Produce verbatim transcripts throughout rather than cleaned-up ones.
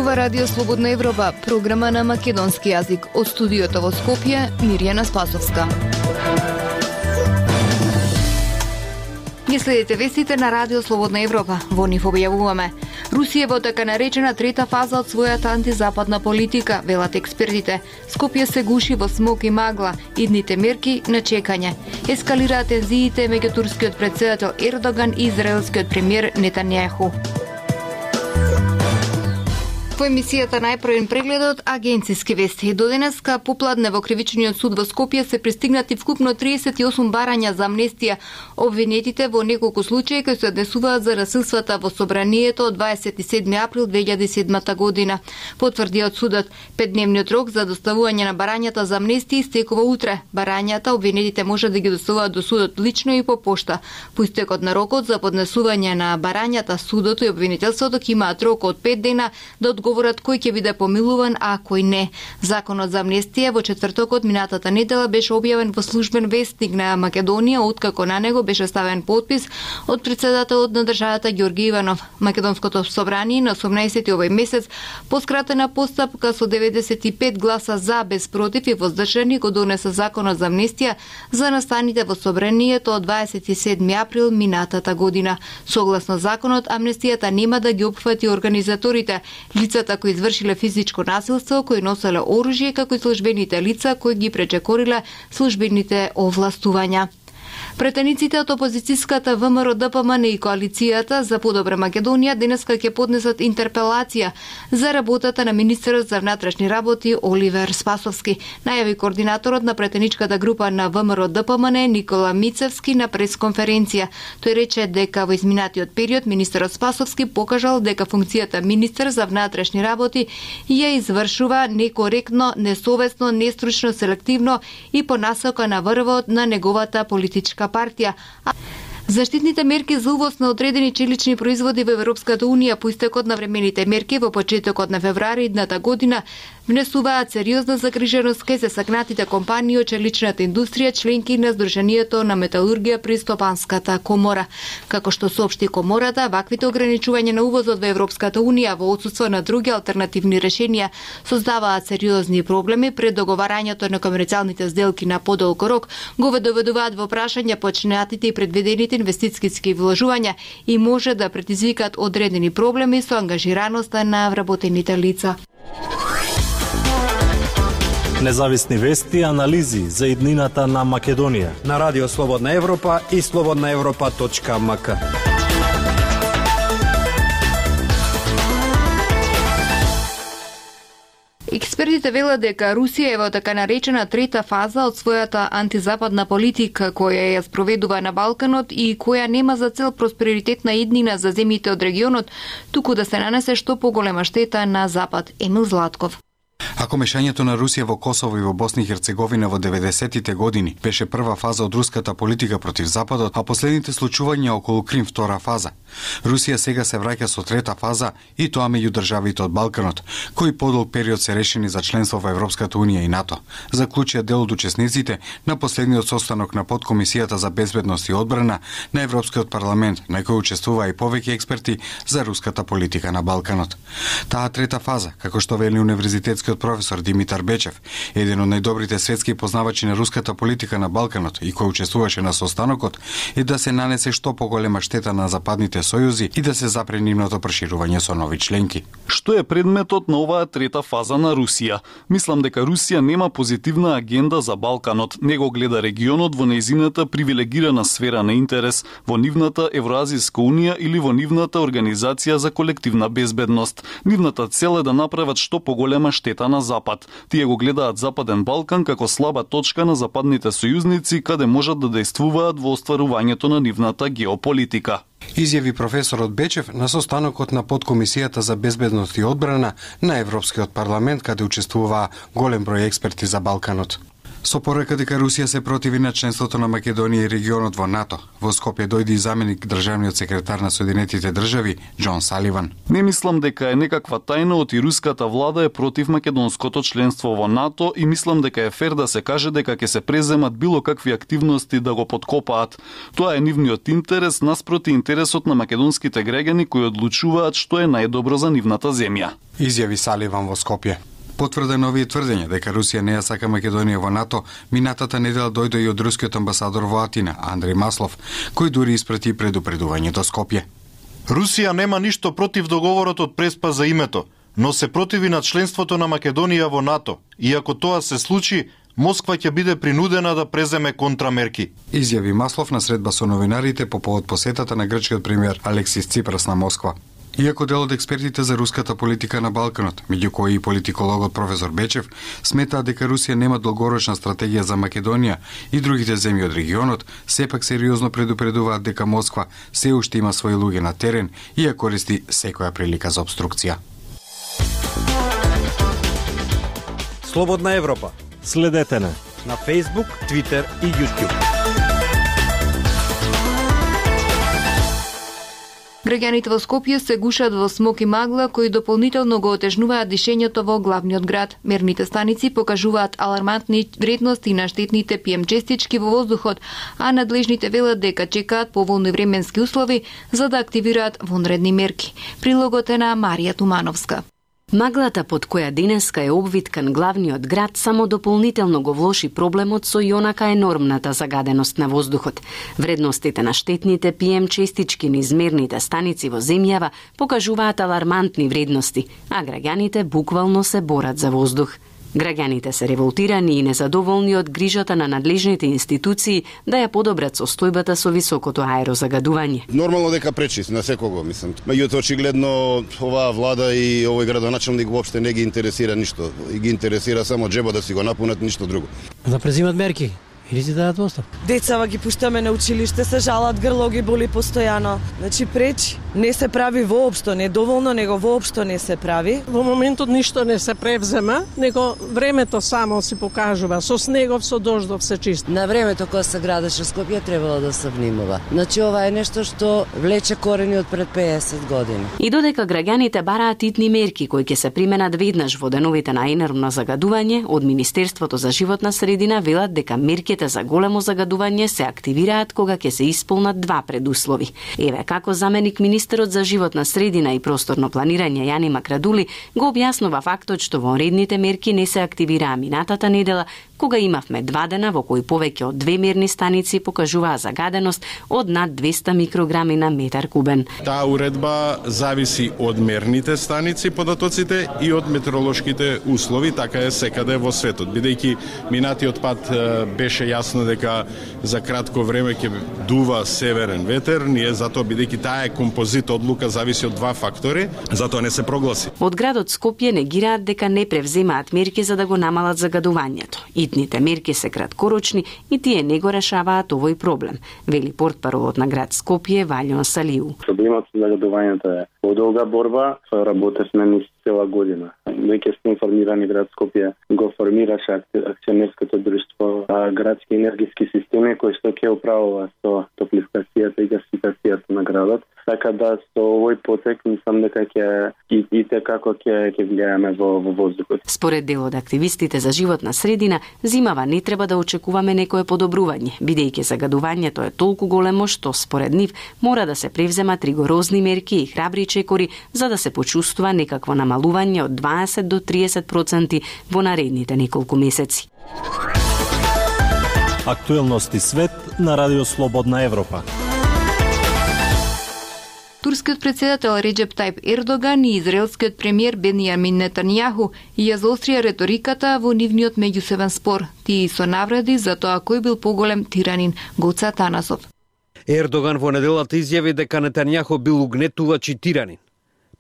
Ова Радио Слободна Европа, програма на македонски јазик. Од студиото во Скопје, Мирјана Спасовска. Ги следите вестите на Радио Слободна Европа. Во нив објавуваме: Русија во така наречена трета фаза од својата антизападна политика, велат експертите. Скопје се гуши во смог и магла, идните мерки на чекање. Ескалираат тензиите меѓу турскиот претседател Ердоган и израелскиот премиер Нетањаху. Во емисијата најпрвен прегледот агенциски вести. До денеска попладне во кривичниот суд во Скопје се пристигнати вкупно триесет и осум барања за амнестија. Обвинетите во неколку случаи кои се однесуваат за насилствата во собранието од дваесет и седми април две илјади и седма година. Потврди од судот, петдневниот рок за доставување на барањата за амнестија истекува утре. Барањата обвинетите може да ги доставуваат до судот лично и по пошта. По истекот на рокот за поднесување на барањата, судот и обвинителството имаат рок од пет дена да говорат кој ќе биде помилуван, а кој не. Законот за амнестија во четвртокот минатата недела беше објавен во службен вестник на Македонија, откако на него беше ставен подпис од претседателот на државата Ѓорги Иванов. Македонското собрание на осумнаесети овој месец по скратена постапка со деветдесет и пет гласа за, без против и воздржани го донесе законот за амнестија за настаните во собранието од дваесет и седми април минатата година. Согласно законот, амнестијата нема да ги опфати организаторите, лицата кои извршиле физичко насилство, кои носеле оружје, како и службените лица кои ги пречекориле службените овластувања. Претениците од опозицијската ВМРО-ДПМН и коалицијата за подобра Македонија денеска ќе поднесат интерпелација за работата на министерот за внатрешни работи Оливер Спасовски, најави координаторот на претеничката група на ВМРО-ДПМН Никола Мицевски на пресконференција. Тој рече дека во изминатиот период министерот Спасовски покажал дека функцијата министер за внатрешни работи ја извршува некоректно, несовесно, нестручно, селективно и по насока на врвот на неговата политичка партија. Заштитните мерки за увоз на одредени челични производи во Европската Унија по истекот на времените мерки во почетокот на февруари идната година внесуваат сериозна загриженост кај засакнатите компании од челичната индустрија, членки на Сдруженијето на металургија при Стопанската комора. Како што соопшти комората, ваквите ограничувања на увозот во Европската Унија во отсутство на други алтернативни решенија создаваат сериозни проблеми пред договарањето на комерцијалните сделки на подолго рок, го доведуваат во прашање почнатите и предвидените инвестициски вложувања и може да предизвикат одредени проблеми со ангажираноста на вработените лица. Независни вести и анализи за иднината на Македонија на Радио Слободна Европа и слободна европа точка ем ка. Експертите велат дека Русија е во така наречена трета фаза од својата антизападна политика која ја спроведува на Балканот и која нема за цел просперитетна иднина за земјите од регионот, туку да се нанесе што поголема штета на Запад. Емил Златков. Ако мешањето на Русија во Косово и во Босна и Херцеговина во деветдесетите години беше прва фаза од руската политика против Западот, а последните случувања околу Крим втора фаза, Русија сега се враќа со трета фаза и тоа меѓу државите од Балканот, кои подолг период се решени за членство во Европската Унија и НАТО, заклучија дел од учесниците на последниот состанок на подкомисијата за безбедност и одбрана на Европскиот парламент, на кој учествуваа и повеќе експерти за руската политика на Балканот. Таа трета фаза, како што вели универзитетскиот професор Димитар Бечев, еден од најдобрите светски познавачи на руската политика на Балканот и кој учествуваше на состанокот, е да се нанесе што поголема штета на западните сојузи и да се запре нивното проширување со нови членки. Што е предметот на оваа трета фаза на Русија? Мислам дека Русија нема позитивна агенда за Балканот, него гледа регионот во нејзината привилегирана сфера на интерес, во нивната Евроазијска унија или во нивната Организација за колективна безбедност. Нивната цел е да направат што поголема штета на Запад. Тие го гледаат Западен Балкан како слаба точка на западните сојузници каде можат да дејствуваат во остварувањето на нивната геополитика. Изјави професорот Бечев на состанокот на подкомисијата за безбедност и одбрана на Европскиот парламент, каде учествуваа голем број експерти за Балканот. Со порека дека Русија се противи на членството на Македонија и регионот во НАТО, во Скопје дојде и заменик државниот секретар на Соединетите држави Џон Саливан. Не мислам дека е некаква тајна од и руската влада е против македонското членство во НАТО и мислам дека е фер да се каже дека ќе се преземат било какви активности да го подкопаат. Тоа е нивниот интерес наспроти интересот на македонските граѓани кои одлучуваат што е најдобро за нивната земја. Изјави Саливан во Скопје. Потврден овие тврдења дека Русија не ја сака Македонија во НАТО, минатата недела дојде и од рускиот амбасадор во Атина, Андреј Маслов, кој дури испрати предупредување до Скопје. Русија нема ништо против договорот од Преспа за името, но се противи на членството на Македонија во НАТО. И ако тоа се случи, Москва ќе биде принудена да преземе контрамерки. Изјави Маслов на средба со новинарите по повод посетата на грчкиот премиер Алексис Ципрас на Москва. Иако дел од експертите за руската политика на Балканот, меѓу кои и политикологот професор Бечев, сметаат дека Русија нема долгорочна стратегија за Македонија и другите земји од регионот, сепак сериозно предупредуваат дека Москва се уште има своји луѓе на терен и ја користи секоја прилика за обструкција. Слободна Европа. Следете на на Facebook, Twitter и YouTube. Граѓаните во Скопје се гушат во смок и магла кои дополнително го отежнуваат дишењето во главниот град. Мерните станици покажуваат алармантни вредности на штетните пи ем честички во воздухот, а надлежните велат дека чекаат поволни временски услови за да активираат вонредни мерки. Прилогот е на Марија Тумановска. Маглата под која денеска е обвиткан главниот град само дополнително го влоши проблемот со јонака енормната загаденост на воздухот. Вредностите на штетните пи ем честички низ мерните станици во земјава покажуваат алармантни вредности, а граѓаните буквално се борат за воздух. Граѓаните се револтирани и незадоволни од грижата на надлежните институции да ја подобрат состојбата со високото аерозагадување. Нормално дека пречи на секого, мислам. Меѓутоа очигледно оваа влада и овој градоначелник воопште не ги интересира ништо. И ги интересира само џебот да си го напунат, ништо друго. Да презимат мерки. Или си дадат оставка. Децава ги пуштаме на училиште, се жалат, грло ги боли постојано. Значи пречи, не се прави воопшто, не доволно, него воопшто не се прави. Во моментот ништо не се превзема, него времето само си покажува. Со снегов, со дождов се чисти. На времето кога се градеше Скопје требало да се внимава. Значи ова е нешто што влече корени од пред пеесет години. И додека граѓаните бараат итни мерки кои ќе се применат веднаш во деновите на енормно загадување, од Министерството за животна средина велат дека мерки за големо загадување се активираат кога ќе се исполнат два предуслови. Еве како заменик министерот за животна средина и просторно планирање Јани Макрадули го објаснува фактот што вонредните мерки не се активираа минатата недела, кога имавме два дена во кои повеќе од две мерни станици покажуваа загаденост од над двесте микрограми на метар кубен. Таа уредба зависи од мерните станици, податоците и од метеоролошките услови, така е секаде во светот. Бидејќи минатиот пат беше јасно дека за кратко време ќе дува северен ветер, ние затоа бидејќи таа е композит одлука зависи од два фактори, затоа не се прогласи. Од градот Скопје негираат дека не превземаат мерки за да го намалат загадувањето. Итните мерки се краткорочни и тие не го решаваат овој проблем, вели портпаровот на град Скопје Валјон Салиу. Проблемот со загадувањето е подолга борба, со работевме низ цела година. Веќе сте информирани, град Скопје го формираше акционерското друштво градски енергиски системи кои што ќе управува со топлификацијата и гасификацијата на градот. Така да со овој потек мислам дека ќе и, и како ќе ќе влијаме во, во воздухот. Според дел од активистите за животна средина, зимава не треба да очекуваме некое подобрување, бидејќи загадувањето е толку големо што според нив мора да се превземат ригорозни мерки и храбри чекори за да се почувствува некакво намалување од дваесет до триесет проценти во наредните неколку месеци. Актуелности свет на Радио Слободна Европа. Турскиот председател Реџеп Тајп Ердоган и израелскиот премиер Бенјамин Нетањаху ја заострија реториката во нивниот меѓусебен спор. Тие со навреди за тоа кој бил поголем тиранин. Гоца Танасов. Ердоган во неделата изјави дека Нетањаху бил угнетувач и тиранин.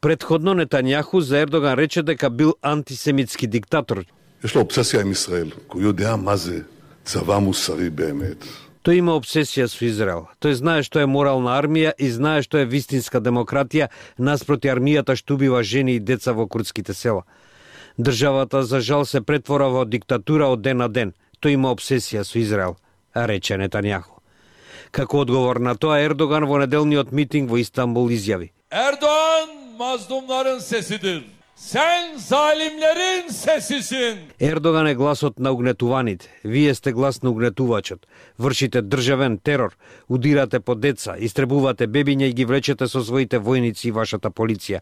Предходно Нетањаху за Ердоган рече дека бил антисемитски диктатор. יש לו אובססיה עם ישראל, הוא יודע מה זה צבא מוסרי באמת. Тој има обсесија со Израел. Тој знае што е морална армија и знае што е вистинска демократија наспроти армијата што убива жени и деца во курдските села. Државата за жал се претвора во диктатура од ден на ден. тој има обсесија со Израел, рече Нетањаху. Како одговор на тоа, Ердоган во неделниот митинг во Истанбул изјави: Erdoğan mazlumların sesidir. Sen zalimlerin sesisin. Ердоган е гласот на угнетуваните. Вие сте глас на угнетувачот. Вршите државен терор, удирате по деца, истребувате бебиња и ги влечете со своите војници и вашата полиција.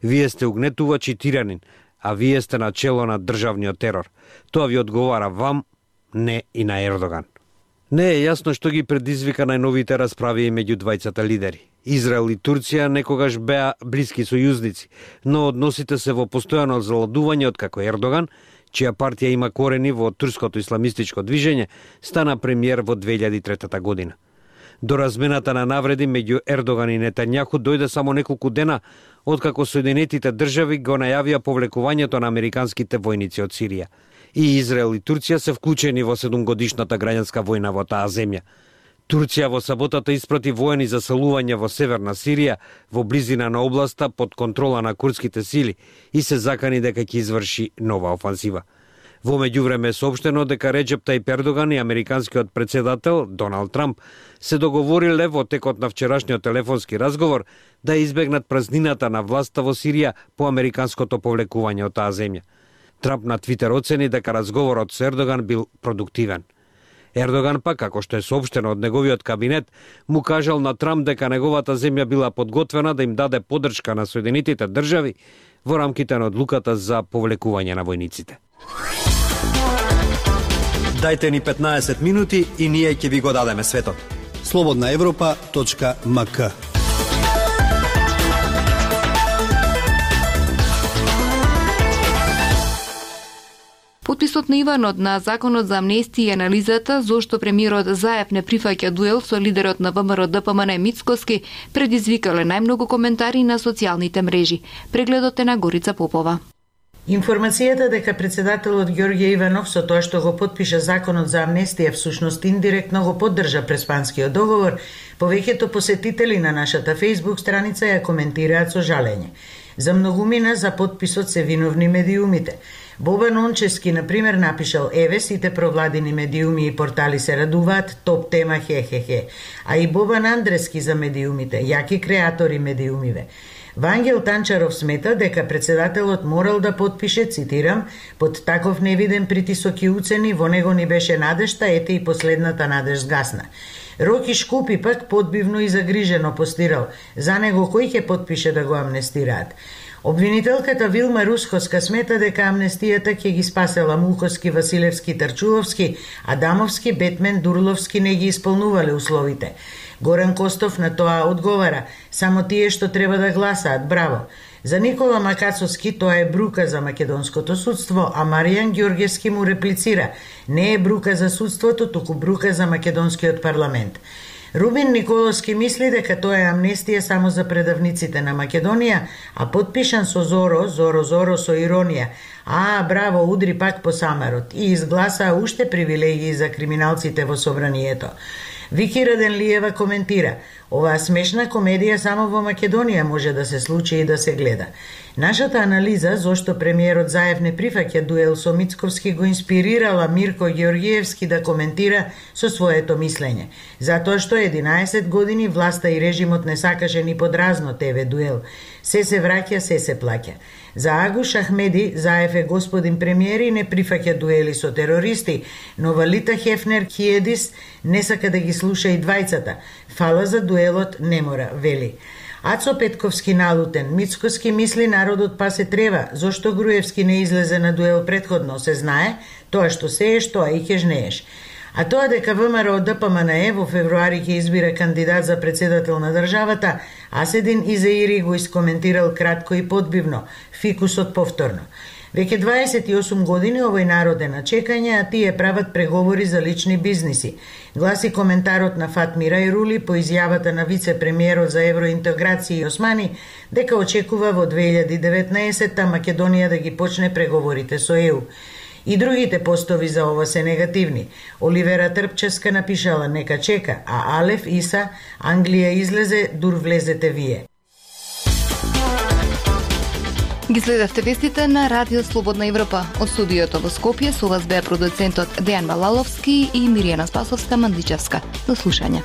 Вие сте угнетувач и тиранин, а вие сте на чело на државниот терор. Тоа ви одговара вам, не и на Ердоган. Не е јасно што ги предизвика најновите расправи меѓу двајцата лидери. Израел и Турција некогаш беа блиски сојузници, но односите се во постојано заладување откако Ердоган, чија партија има корени во турското исламистичко движење, стана премиер во две илјади и трета година. До размената на навреди меѓу Ердоган и Нетањаху дојде само неколку дена откако Соединетите држави го најавија повлекувањето на американските војници од Сирија. И Израел и Турција се вклучени во седумгодишната граѓанска војна во таа земја. Турција во саботата испрати воени заселување во северна Сирија, во близина на областа под контрола на курдските сили и се закани дека ќе изврши нова офанзива. Во меѓувреме е соопштено дека Реџеп Тајип Ердоган и американскиот претседател Доналд Трамп се договориле во текот на вчерашниот телефонски разговор да избегнат празнината на власта во Сирија по американското повлекување од таа земја. Трамп на Твитер оцени дека разговорот со Ердоган бил продуктивен. Ердоган пак, како што е соопштено од неговиот кабинет, му кажал на Трамп дека неговата земја била подготвена да им даде поддршка на Соединетите држави во рамките на одлуката за повлекување на војниците. Дајте ни петнаесет минути и ние ќе ви го дадеме светот. слободна европа точка ем ка. Потписот на Иванот на Законот за амнестија и анализата зошто премиерот Заев не прифаќа дуел со лидерот на ВМРО Д П М Н Мицкоски предизвикале најмногу коментари на социјалните мрежи. Прегледот е на Горица Попова. Информацијата дека председателот Ѓорѓе Иванов со тоа што го потпиша Законот за амнестија всушност индиректно го поддржа Преспанскиот договор, повеќето посетители на нашата Facebook страница ја коментираат со жалење. За многумина за потписот се виновни медиумите. Бобан Ончески, например, напишал: еве сите провладини медиуми и портали се радуваат, топ тема хе-хе-хе. А и Бобан Андрески за медиумите, јаки креатори медиумиве. Вангел Танчаров смета дека председателот морал да потпише, цитирам, под таков невиден притисок и уцени, во него ни беше надежта, ете и последната надеж сгасна. Роки Шкупи пак подбивно и загрижено постирал: за него кој ќе потпише да го амнестираат? Обвинителката Вилма Русковска смета дека амнестијата ќе ги спасела Мулковски, Василевски, Тарчуловски, Адамовски, Бетмен, Дурловски не ги исполнувале условите. Горан Костов на тоа одговара: само тие што треба да гласаат, браво. За Никола Макацовски тоа е брука за македонското судство, а Маријан Ѓоргевски му реплицира: не е брука за судството, туку брука за македонскиот парламент. Рубин Николовски мисли дека тоа е амнестија само за предавниците на Македонија, а потпишан со Зоро, Зоро, Зоро со иронија. А, браво, удри пак по самарот и изгласаа уште привилегии за криминалците во собранието. Вики Раденлиева коментира: оваа смешна комедија само во Македонија може да се случи и да се гледа. Нашата анализа зошто премиерот Заев не прифаќа дуел со Мицковски го инспирирала Мирко Ѓоргиевски да коментира со своето мислење. Затоа што единаесет години власта и режимот не сакаше ни подразно ТВ дуел. Се се враќа, се се плаќа. За Агуш Ахмеди, Заев е господин премиер и не прифаќа дуели со терористи, но Валита Хефнер Киедис не сака да ги слуша и двајцата. Фала за дуелот не мора, вели. Ацо Петковски налутен: Мицкоски мисли народот па се трева, зошто Груевски не излезе на дуел предходно, се знае, тоа што сееш, тоа и ќе жнееш. А тоа дека ВМРО Д П М Н Е во февруари ќе избира кандидат за председател на државата, Аседин Изеири го искоментирал кратко и подбивно, фикусот повторно. Веќе дваесет и осум години овој народ е на чекање, а тие прават преговори за лични бизниси. Гласи коментарот на Фатми Рајрули по изјавата на вице-премиерот за евроинтеграција Османи дека очекува во две илјади и деветнаесетта Македонија да ги почне преговорите со Е У. И другите постови за ова се негативни. Оливера Трпческа напишала: нека чека, а Алеф Иса: Англија излезе, дур влезете вие. Ги следевте вестите на Радио Слободна Европа. Од студиото во Скопје со вас беа продуцентот Дејан Балаловски и Миријана Спасовска-Мандличевска. До слушање.